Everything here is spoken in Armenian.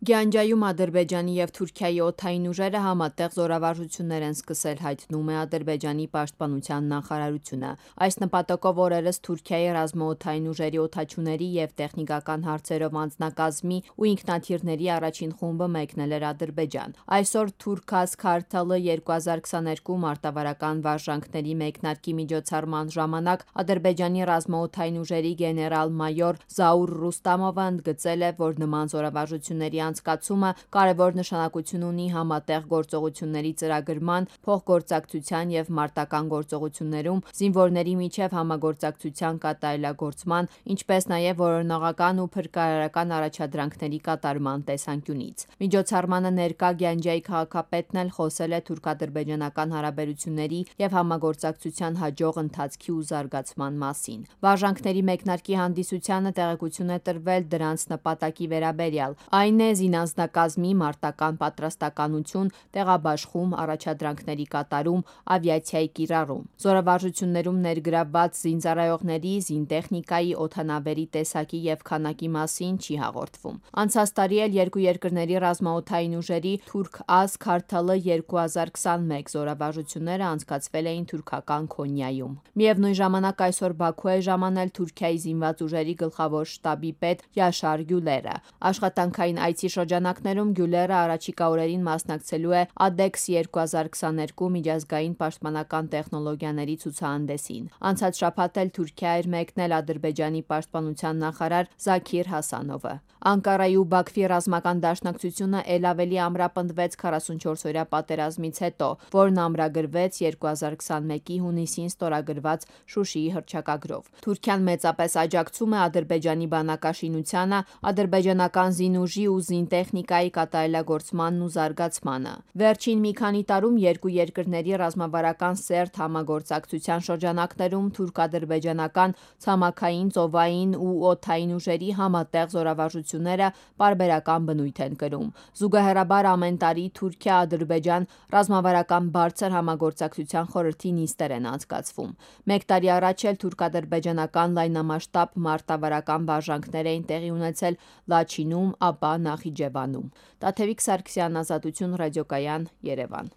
Գյանջայում Ադրբեջանի և Թուրքիայի օդային ուժերը համատեղ զորավարժություններ են սկսել, հայտնում է Ադրբեջանի պաշտպանության նախարարությունը։ Այս նպատակով օրերս Թուրքիայի ռազմաօդային ուժերի օդաչուների և տեխնիկական հարցերով անձնակազմի ու ինքնաթիռների առաջին խումբը մեկնել էր Ադրբեջան։ Այսօր Թուրքազ Քարթալը 2022 մարտավարական վարժանքների մեկնարկի միջոցառման ժամանակ Ադրբեջանի ռազմաօդային ուժերի գեներալ-մայոր Զաուր Ռուստամովը ընդգծել է, որ նման զորավարժությունների անցկացումը կարևոր նշանակություն ունի համատեղ գործողությունների ծրագրման, փոխգործակցության և մարտական գործողություններում զինվորների միջև համագործակցության կատարելագործման, ինչպես նաև որոնողական ու փրկարարական առաջադրանքների կատարման տեսանկյունից։ Միջոցառմանը ներկա Գյանջայի քաղաքապետն էլ խոսել է թուրք-ադրբեջանական հարաբերությունների և համագործակցության հաջող ընթացքի ու զարգացման մասին։ Վարժանքների մեկնարկի հանդիսությանը տեղեկություն է տրվել դրանց նպատակի վերաբերյալ, այն է զինանձնակազմի մարտական պատրաստակամություն, տեղաբաշխում, առաջադրանքների կատարում, ավիացիայի կիրառում։ Զորավարժություններում ներգրավված զինծառայողների, զինտեխնիկայի, օդանավերի տեսակի և քանակի մասին չի հաղորդվում։ Անցած տարի էլ երկու երկրների ռազմաօդային ուժերի Թուրք-Ազ Քարթալը 2021 զորավարժությունները անցկացվել էին թուրքական Քոնյայում։ Միևնույն ժամանակ այսօր Բաքու է ժամանել Թուրքիայի զինված ուժերի գլխավոր շտաբի պետ Յաշար Գյուլերը։ Աշխատանքային այցի շրջանակներում Գյուլերը առաջիկա օրերին մասնակցելու է ADEX 2022 միջազգային պաշտպանական տեխնոլոգիաների ցուցահանդեսին։ Անցած շաբաթ էլ Թուրքիա էր մեկնել Ադրբեջանի պաշտպանության նախարար Զաքիր Հասանովը։ Անկարայի ու Բաքվի ռազմական դաշնակցությունը էլ ավելի ամրապնդվեց 44-օրյա պատերազմից հետո, որն ամրագրվեց 2021-ի հունիսին ստորագրված Շուշիի հռչակագրով։ Թուրքիան մեծապես աջակցում է Ադրբեջանի բանակաշինությանը, ադրբեջանական զինուժի ու զինտեխնիկայի կատարելագործմանն ու զարգացմանը։ Վերջին մի քանի տարում երկու երկրների ռազմավարական սերտ համագործակցության շրջանակներում թուրք-ադրբեջանական ցամաքային, ծովային ու օդային ուժերի համատեղ զորավարժությունները պարբերական բնույթ են կրում։ Զուգահեռաբար ամեն տարի Թուրքիա-Ադրբեջան ռազմավարական բարձր համագործակցության խորհրդի նիստեր են անցկացվում։ Մեկ տարի առաջ էլ թուրք-ադրբեջանական լայնամասշտաբ մարտավարական վարժանքներ էին տեղի ունեցել Լաչինում, ապա Նախիջևանում։ Տաթևիկ Սարգսյան, Ազատություն ռադիոկայան, Երևան։